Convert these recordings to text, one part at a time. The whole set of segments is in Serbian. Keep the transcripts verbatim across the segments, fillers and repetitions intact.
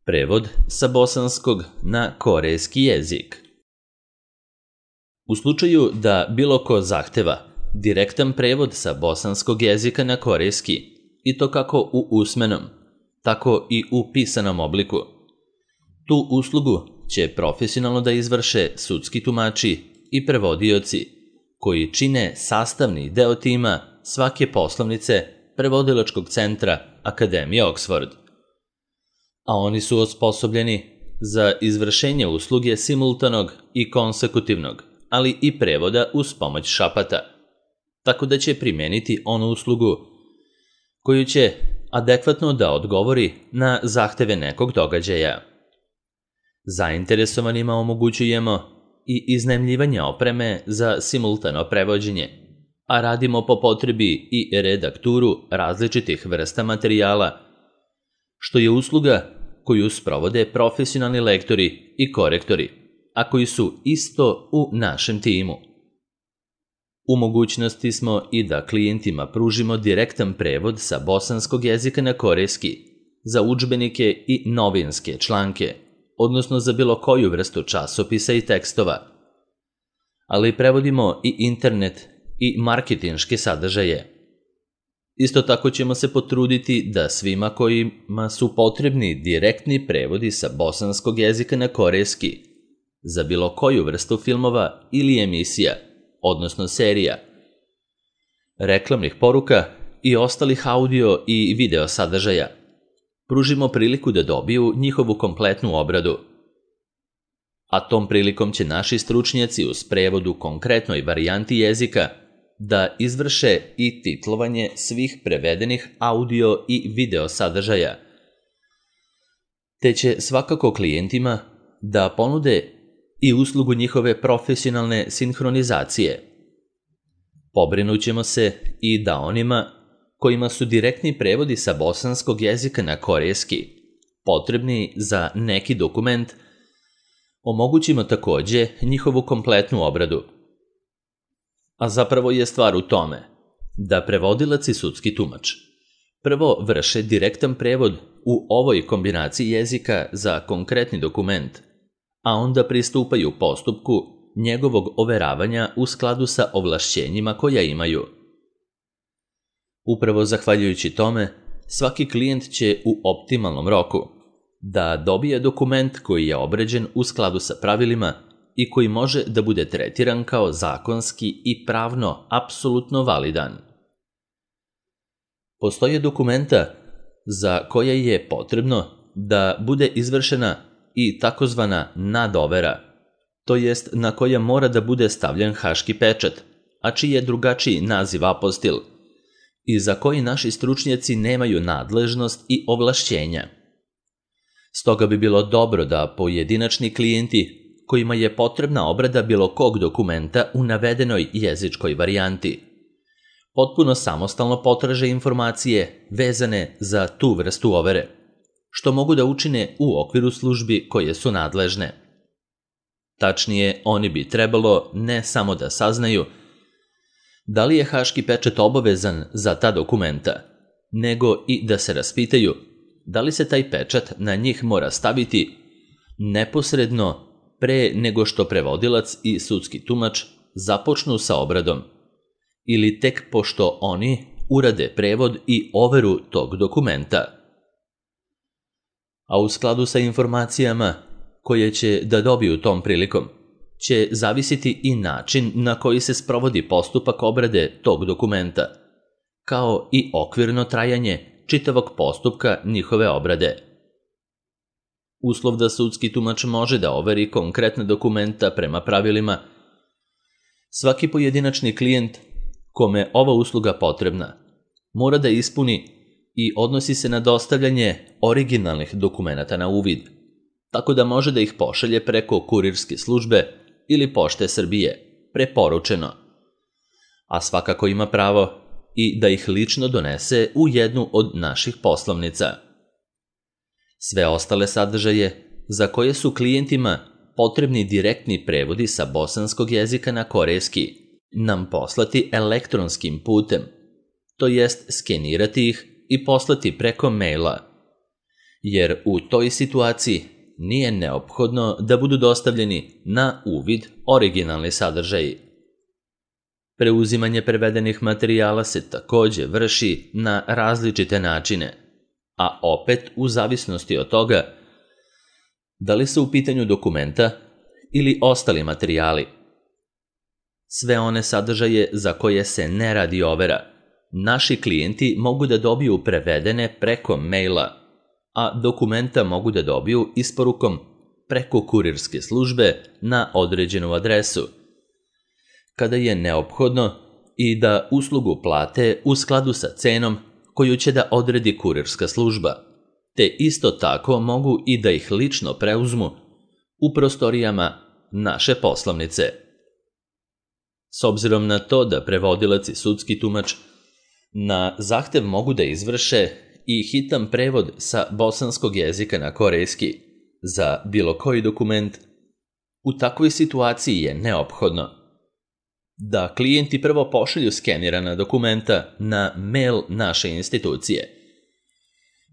Prevod sa bosanskog na korejski jezik. U slučaju da bilo ko zahteva direktan prevod sa bosanskog jezika na korejski, i to kako u usmenom, tako i u pisanom obliku, tu uslugu će profesionalno da izvrše sudski tumači i prevodioci, koji čine sastavni deo tima svake poslovnice prevodilačkog centra Akademije Oxford. A oni su osposobljeni za izvršenje usluge simultanog i konsekutivnog, ali i prevoda uz pomoć šapata, tako da će primeniti onu uslugu koju će adekvatno da odgovori na zahteve nekog događaja. Zainteresovanima omogućujemo i iznajmljivanje opreme za simultano prevođenje, a radimo po potrebi i redakturu različitih vrsta materijala, što je usluga koju sprovode profesionalni lektori i korektori, a koji su isto u našem timu. U mogućnosti smo i da klijentima pružimo direktan prevod sa bosanskog jezika na korejski za udžbenike i novinske članke, odnosno za bilo koju vrstu časopisa i tekstova. Ali prevodimo i internet i marketinške sadržaje. Isto tako ćemo se potruditi da svima kojima su potrebni direktni prevodi sa bosanskog jezika na korejski za bilo koju vrstu filmova ili emisija, odnosno serija, reklamnih poruka i ostalih audio i video sadržaja, pružimo priliku da dobiju njihovu kompletnu obradu. A tom prilikom će naši stručnjaci uz prevod u konkretnoj varijanti jezika da izvrše i titlovanje svih prevedenih audio i video sadržaja, te će svakako klijentima da ponude i uslugu njihove profesionalne sinhronizacije. Pobrinućemo se i da onima kojima su direktni prevodi sa bosanskog jezika na korejski potrebni za neki dokument, omogućimo takođe njihovu kompletnu obradu. A zapravo je stvar u tome da prevodilac i sudski tumač prvo vrše direktan prevod u ovoj kombinaciji jezika za konkretni dokument, a onda pristupaju postupku njegovog overavanja u skladu sa ovlašćenjima koja imaju. Upravo zahvaljujući tome, svaki klijent će u optimalnom roku da dobije dokument koji je obrađen u skladu sa pravilima i koji može da bude tretiran kao zakonski i pravno apsolutno validan. Postoje dokumenta za koje je potrebno da bude izvršena i takozvana nadovera, to jest na koja mora da bude stavljen haški pečat, a čiji je drugačiji naziv apostil, i za koji naši stručnjaci nemaju nadležnost i ovlašćenja. Stoga bi bilo dobro da pojedinačni klijenti kojima je potrebna obrada bilo kog dokumenta u navedenoj jezičkoj varijanti potpuno samostalno potraže informacije vezane za tu vrstu overe, što mogu da učine u okviru službi koje su nadležne. Tačnije, oni bi trebalo ne samo da saznaju da li je haški pečat obavezan za ta dokumenta, nego i da se raspitaju da li se taj pečat na njih mora staviti neposredno pre nego što prevodilac i sudski tumač započnu sa obradom, ili tek pošto oni urade prevod i overu tog dokumenta. A u skladu sa informacijama koje će da dobiju tom prilikom, će zavisiti i način na koji se sprovodi postupak obrade tog dokumenta, kao i okvirno trajanje čitavog postupka njihove obrade. Uslov da sudski tumač može da overi konkretne dokumenta prema pravilima, svaki pojedinačni klijent kome ova usluga potrebna mora da ispuni i odnosi se na dostavljanje originalnih dokumenata na uvid, tako da može da ih pošalje preko kurirske službe ili Pošte Srbije, preporučeno, a svakako ima pravo i da ih lično donese u jednu od naših poslovnica. Sve ostale sadržaje za koje su klijentima potrebni direktni prevodi sa bosanskog jezika na korejski nam poslati elektronskim putem, to jest skenirati ih i poslati preko maila, jer u toj situaciji nije neophodno da budu dostavljeni na uvid originalni sadržaji. Preuzimanje prevedenih materijala se takođe vrši na različite načine, a opet u zavisnosti od toga da li su u pitanju dokumenta ili ostali materijali. Sve one sadržaje za koje se ne radi overa, naši klijenti mogu da dobiju prevedene preko maila, a dokumenta mogu da dobiju isporukom preko kurirske službe na određenu adresu, kada je neophodno i da uslugu plate u skladu sa cenom koju će da odredi kurirska služba, te isto tako mogu i da ih lično preuzmu u prostorijama naše poslovnice. S obzirom na to da prevodilac i sudski tumač na zahtev mogu da izvrše i hitan prevod sa bosanskog jezika na korejski za bilo koji dokument, u takvoj situaciji je neophodno da klijenti prvo pošalju skenirana dokumenta na mail naše institucije,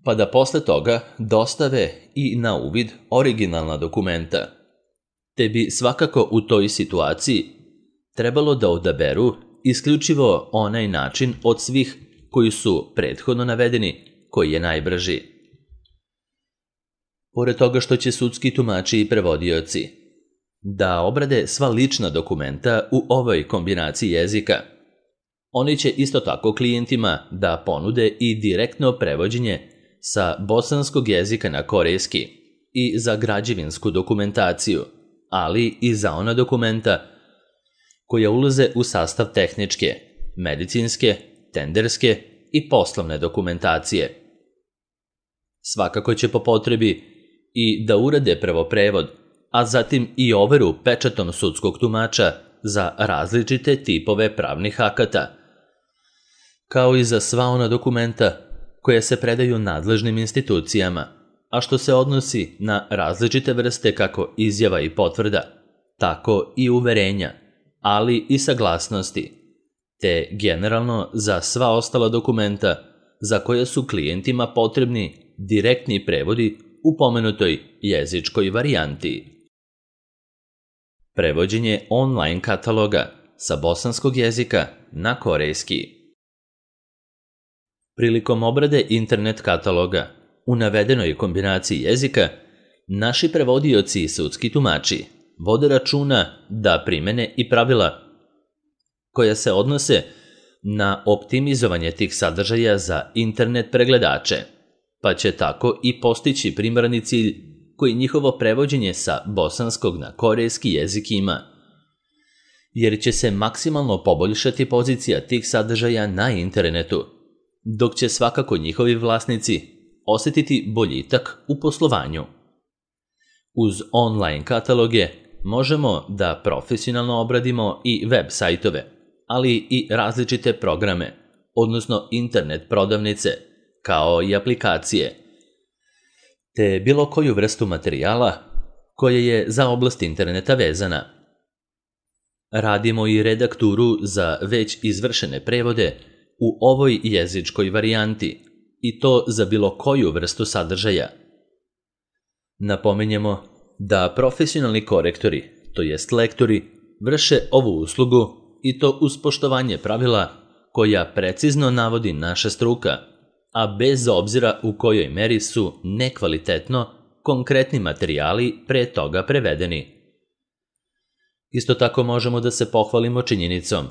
pa da posle toga dostave i na uvid originalna dokumenta, te bi svakako u toj situaciji trebalo da odaberu isključivo onaj način od svih koji su prethodno navedeni koji je najbrži. Pored toga što će sudski tumači i prevodioci da obrade sva lična dokumenta u ovoj kombinaciji jezika, oni će isto tako klijentima da ponude i direktno prevođenje sa bosanskog jezika na korejski i za građevinsku dokumentaciju, ali i za ona dokumenta koja ulaze u sastav tehničke, medicinske, tenderske i poslovne dokumentacije. Svakako će po potrebi i da urade prvo prevod, a zatim i overu pečatom sudskog tumača za različite tipove pravnih akata, kao i za sva ona dokumenta koja se predaju nadležnim institucijama, a što se odnosi na različite vrste kako izjava i potvrda, tako i uverenja, ali i saglasnosti, te generalno za sva ostala dokumenta za koje su klijentima potrebni direktni prevodi u pomenutoj jezičkoj varijanti. Prevođenje online kataloga sa bosanskog jezika na korejski. Prilikom obrade internet kataloga u navedenoj kombinaciji jezika, naši prevodioci i sudski tumači vode računa da primene i pravila koja se odnose na optimizovanje tih sadržaja za internet pregledače, pa će tako i postići primarni cilj koji njihovo prevođenje sa bosanskog na korejski jezik ima, jer će se maksimalno poboljšati pozicija tih sadržaja na internetu, dok će svakako njihovi vlasnici osetiti boljitak u poslovanju. Uz online kataloge možemo da profesionalno obradimo i web sajtove, ali i različite programe, odnosno internet prodavnice, kao i aplikacije, te bilo koju vrstu materijala koja je za oblast interneta vezana. Radimo i redakturu za već izvršene prevode u ovoj jezičkoj varijanti, i to za bilo koju vrstu sadržaja. Napominjemo da profesionalni korektori, to jest lektori, vrše ovu uslugu i to uz poštovanje pravila koja precizno navodi naša struka, a bez obzira u kojoj meri su nekvalitetno konkretni materijali pre toga prevedeni. Isto tako možemo da se pohvalimo činjenicom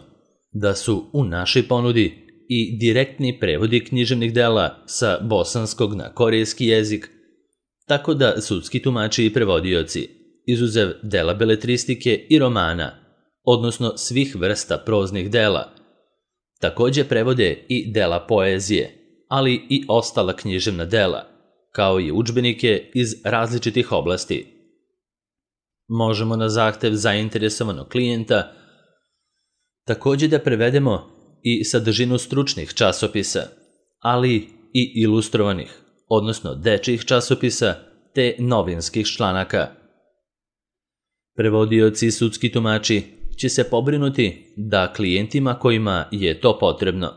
da su u našoj ponudi i direktni prevodi književnih dela sa bosanskog na korejski jezik, tako da sudski tumači i prevodioci, izuzev dela beletristike i romana, odnosno svih vrsta proznih dela, takođe prevode i dela poezije, ali i ostala književna dela, kao i udžbenike iz različitih oblasti. Možemo na zahtev zainteresovanog klijenta takođe da prevedemo i sadržinu stručnih časopisa, ali i ilustrovanih, odnosno dečijih časopisa te novinskih članaka. Prevodioci i sudski tumači će se pobrinuti da klijentima kojima je to potrebno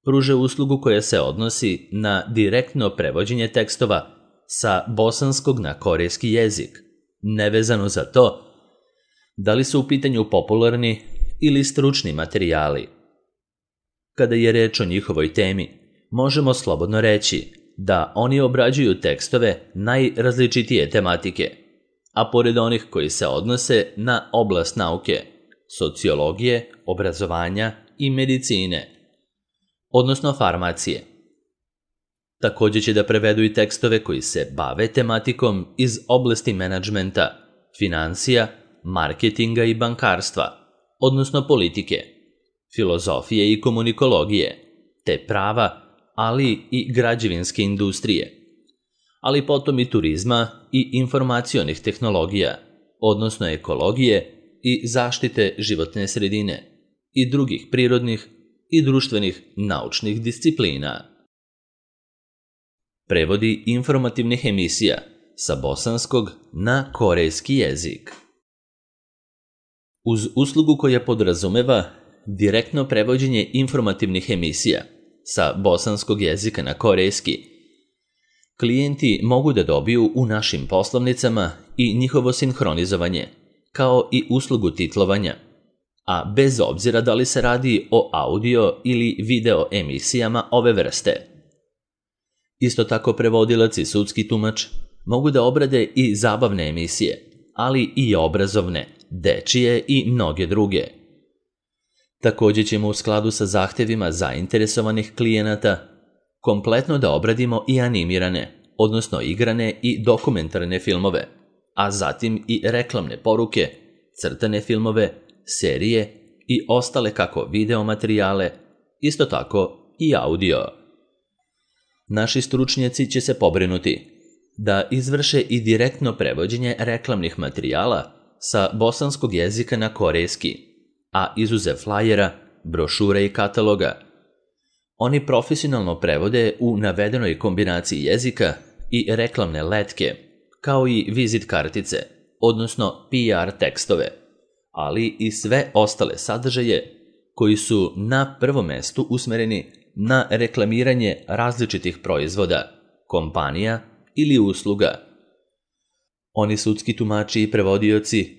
pruže uslugu koja se odnosi na direktno prevođenje tekstova sa bosanskog na korejski jezik, nevezano za to da li su u pitanju popularni ili stručni materijali. Kada je reč o njihovoj temi, možemo slobodno reći da oni obrađuju tekstove najrazličitije tematike, a pored onih koji se odnose na oblast nauke, sociologije, obrazovanja i medicine, odnosno farmacije. Također će da prevedu i tekstove koji se bave tematikom iz oblasti menadžmenta, financija, marketinga i bankarstva, odnosno politike, filozofije i komunikologije, te prava, ali i građevinske industrije, ali potom i turizma i informacionih tehnologija, odnosno ekologije i zaštite životne sredine i drugih prirodnih i društvenih naučnih disciplina. Prevodi informativnih emisija sa bosanskog na korejski jezik. Uz uslugu koja podrazumeva direktno prevođenje informativnih emisija sa bosanskog jezika na korejski, klijenti mogu da dobiju u našim poslovnicama i njihovo sinhronizovanje, kao i uslugu titlovanja, a bez obzira da li se radi o audio ili video emisijama ove vrste. Isto tako prevodilac i sudski tumač mogu da obrade i zabavne emisije, ali i obrazovne, dečije i mnoge druge. Također ćemo u skladu sa zahtevima zainteresovanih klijenata kompletno da obradimo i animirane, odnosno igrane i dokumentarne filmove, a zatim i reklamne poruke, crtane filmove, serije i ostale kako video materijale, isto tako i audio. Naši stručnjaci će se pobrinuti da izvrše i direktno prevođenje reklamnih materijala sa bosanskog jezika na korejski, a izuzev flajera, brošure i kataloga, oni profesionalno prevode u navedenoj kombinaciji jezika i reklamne letke, kao i vizit kartice, odnosno P R tekstove, ali i sve ostale sadržaje koji su na prvom mestu usmereni na reklamiranje različitih proizvoda, kompanija ili usluga. Oni sudski tumači i prevodioci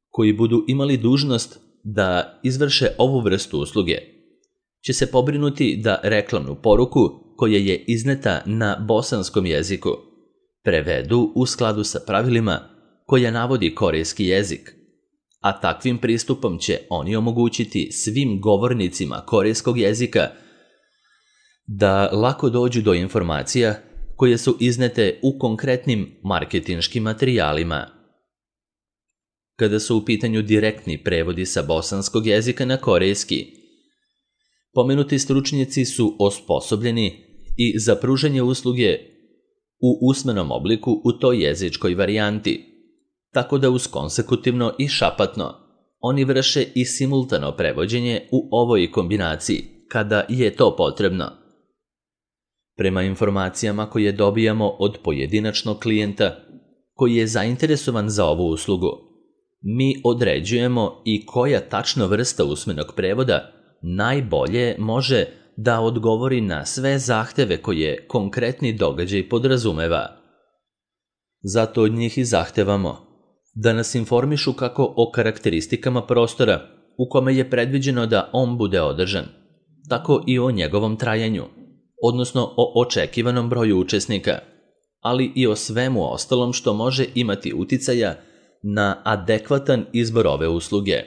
koji budu imali dužnost da izvrše ovu vrstu usluge će se pobrinuti da reklamnu poruku koja je izneta na bosanskom jeziku prevedu u skladu sa pravilima koja navodi korejski jezik, a takvim pristupom će oni omogućiti svim govornicima korejskog jezika da lako dođu do informacija koje su iznete u konkretnim marketinškim materijalima. Kada su u pitanju direktni prevodi sa bosanskog jezika na korejski, pomenuti stručnjaci su osposobljeni i za pružanje usluge u usmenom obliku u toj jezičkoj varijanti, tako da uz konsekutivno i šapatno oni vrše i simultano prevođenje u ovoj kombinaciji, kada je to potrebno. Prema informacijama koje dobijamo od pojedinačnog klijenta koji je zainteresovan za ovu uslugu, mi određujemo i koja tačno vrsta usmenog prevoda najbolje može da odgovori na sve zahteve koje konkretni događaj podrazumeva. Zato od njih i zahtevamo da nas informišu kako o karakteristikama prostora u kome je predviđeno da on bude održan, tako i o njegovom trajanju, odnosno o očekivanom broju učesnika, ali i o svemu ostalom što može imati uticaja na adekvatan izbor ove usluge.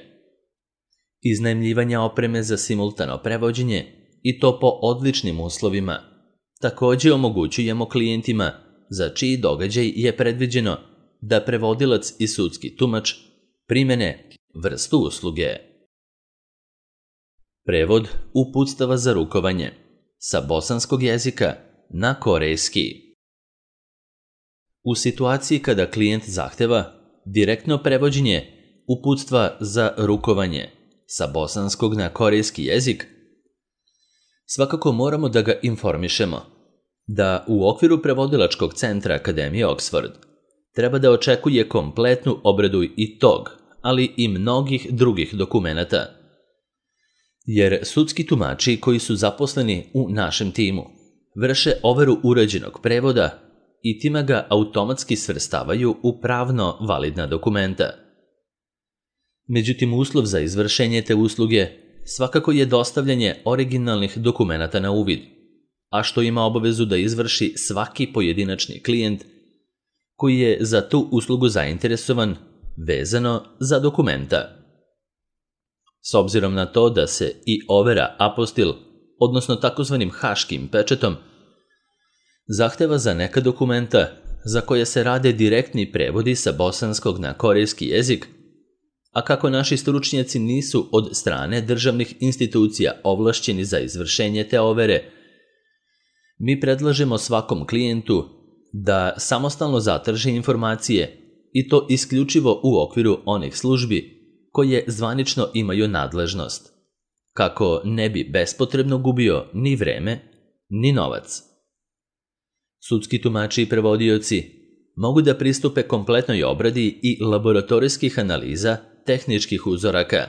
Iznajmljivanja opreme za simultano prevođenje i to po odličnim uslovima. Također omogućujemo klijentima za čiji događaj je predviđeno da prevodilac i sudski tumač primene vrstu usluge. Prevod uputstava za rukovanje sa bosanskog jezika na korejski. U situaciji kada klijent zahteva direktno prevođenje uputstva za rukovanje sa bosanskog na korejski jezik, svakako moramo da ga informišemo da u okviru prevodilačkog centra Akademije Oxford treba da očekuje kompletnu obradu i tog, ali i mnogih drugih dokumenata. Jer sudski tumači koji su zaposleni u našem timu vrše overu urađenog prevoda i time ga automatski svrstavaju u pravno validna dokumenta. Međutim, uslov za izvršenje te usluge svakako je dostavljanje originalnih dokumenata na uvid, a što ima obavezu da izvrši svaki pojedinačni klijent koji je za tu uslugu zainteresovan vezano za dokumenta. S obzirom na to da se i overa apostil, odnosno takozvanim haškim pečetom, zahteva za neka dokumenta za koje se rade direktni prevodi sa bosanskog na korejski jezik, a kako naši stručnjaci nisu od strane državnih institucija ovlašćeni za izvršenje te overe, mi predlažemo svakom klijentu da samostalno zatraži informacije i to isključivo u okviru onih službi koje zvanično imaju nadležnost, kako ne bi bespotrebno gubio ni vreme, ni novac. Sudski tumači i prevodioci mogu da pristupe kompletnoj obradi i laboratorijskih analiza tehničkih uzoraka,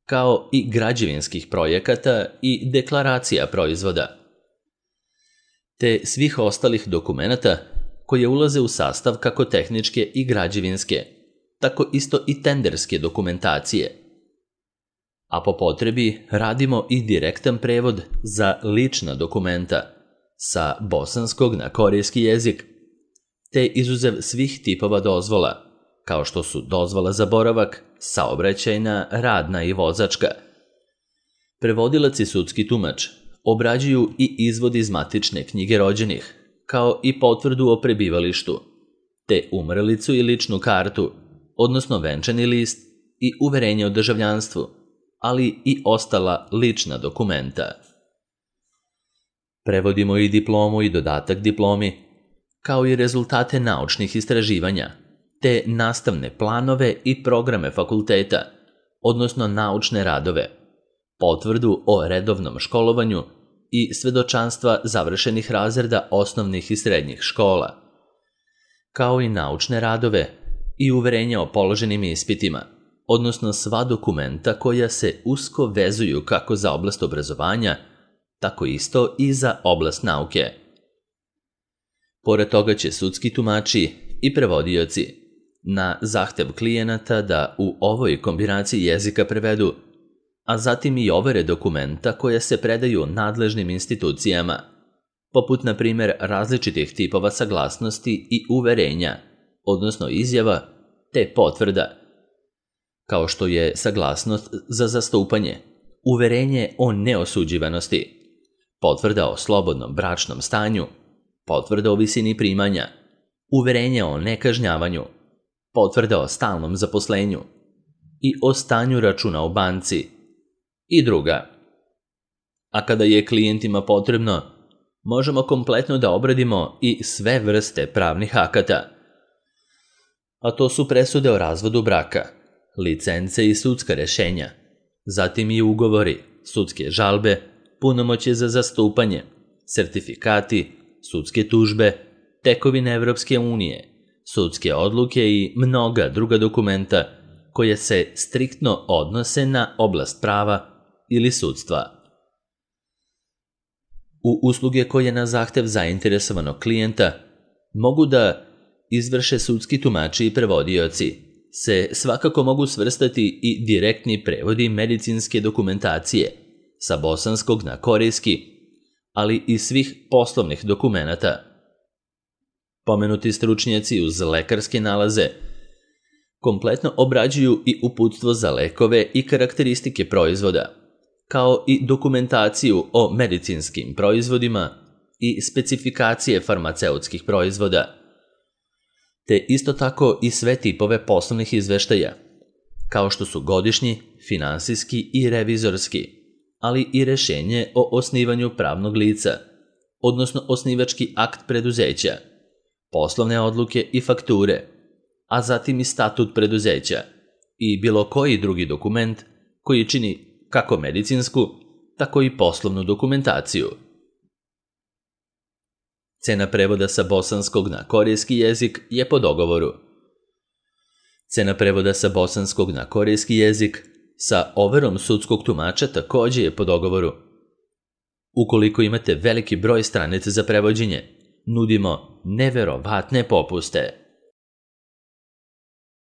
kao i građevinskih projekata i deklaracija proizvoda, te svih ostalih dokumenata koje ulaze u sastav kako tehničke i građevinske, tako isto i tenderske dokumentacije. A po potrebi radimo i direktan prevod za lična dokumenta sa bosanskog na korejski jezik, te izuzev svih tipova dozvola, kao što su dozvola za boravak, saobraćajna, radna i vozačka. Prevodilac i sudski tumač obrađuju i izvod iz matične knjige rođenih, kao i potvrdu o prebivalištu, te umrlicu i ličnu kartu, odnosno venčani list i uverenje o državljanstvu, ali i ostala lična dokumenta. Prevodimo i diplomu i dodatak diplomi, kao i rezultate naučnih istraživanja, te nastavne planove i programe fakulteta, odnosno naučne radove, potvrdu o redovnom školovanju i svedočanstva završenih razreda osnovnih i srednjih škola, kao i naučne radove i uverenja o položenim ispitima, odnosno sva dokumenta koja se usko vezuju kako za oblast obrazovanja, tako isto i za oblast nauke. Pored toga će sudski tumači i prevodioci na zahtev klijenata da u ovoj kombinaciji jezika prevedu, a zatim i overe dokumenta koja se predaju nadležnim institucijama, poput na primjer različitih tipova saglasnosti i uverenja, odnosno izjava, te potvrda, kao što je saglasnost za zastupanje, uverenje o neosuđivanosti, potvrda o slobodnom bračnom stanju, potvrda o visini primanja, uverenje o nekažnjavanju, potvrda o stalnom zaposlenju i o stanju računa u banci i druga. A kada je klijentima potrebno, možemo kompletno da obradimo i sve vrste pravnih akata. A to su presude o razvodu braka, licence i sudska rešenja, zatim i ugovori, sudske žalbe, punomoćje za zastupanje, sertifikati, sudske tužbe, tekovine Evropske unije, sudske odluke i mnoga druga dokumenta koje se striktno odnose na oblast prava ili sudstva. U usluge koje na zahtev zainteresovanog klijenta mogu da izvrše sudski tumači i prevodioci se svakako mogu svrstati i direktni prevodi medicinske dokumentacije sa bosanskog na korejski, ali i svih poslovnih dokumenata. Pomenuti stručnjaci uz lekarske nalaze kompletno obrađuju i uputstvo za lekove i karakteristike proizvoda, kao i dokumentaciju o medicinskim proizvodima i specifikacije farmaceutskih proizvoda, te isto tako i sve tipove poslovnih izveštaja, kao što su godišnji, finansijski i revizorski, ali i rešenje o osnivanju pravnog lica, odnosno osnivački akt preduzeća, poslovne odluke i fakture, a zatim i statut preduzeća i bilo koji drugi dokument koji čini kako medicinsku, tako i poslovnu dokumentaciju. Cena prevoda sa bosanskog na korejski jezik je po dogovoru. Cena prevoda sa bosanskog na korejski jezik sa overom sudskog tumača također je po dogovoru. Ukoliko imate veliki broj stranica za prevođenje, nudimo neverovatne popuste.